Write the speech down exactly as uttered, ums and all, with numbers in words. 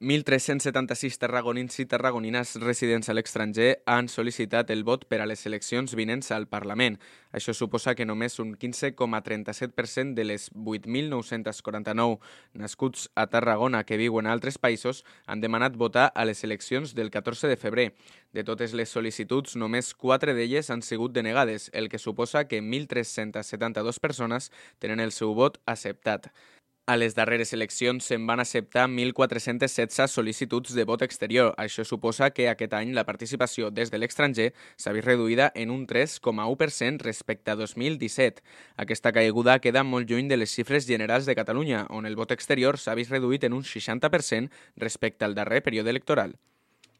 mil tres-cents setanta-sis tarragonins i tarragonines residents a l'estranger han sol·licitat el vot per a les eleccions vinents al Parlament. Això suposa que només un quinze coma trenta-set per cent de les vuit mil nou-cents quaranta-nou nascuts a Tarragona que viuen a altres països han demanat votar a les eleccions del catorze de febrer. De totes les sol·licituds, només quatre d'elles han sigut denegades, el que suposa que mil tres-cents setanta-dues persones tenen el seu vot acceptat. A les darreres eleccions se'n van acceptar mil quatre-cents setze sol·licituds de vot exterior. Això suposa que aquest any la participació des de l'estranger s'ha vist reduïda en un tres coma u per cent respecte a dos mil disset. Aquesta caiguda queda molt lluny de les xifres generals de Catalunya, on el vot exterior s'ha vist reduït en un seixanta per cent respecte al darrer període electoral.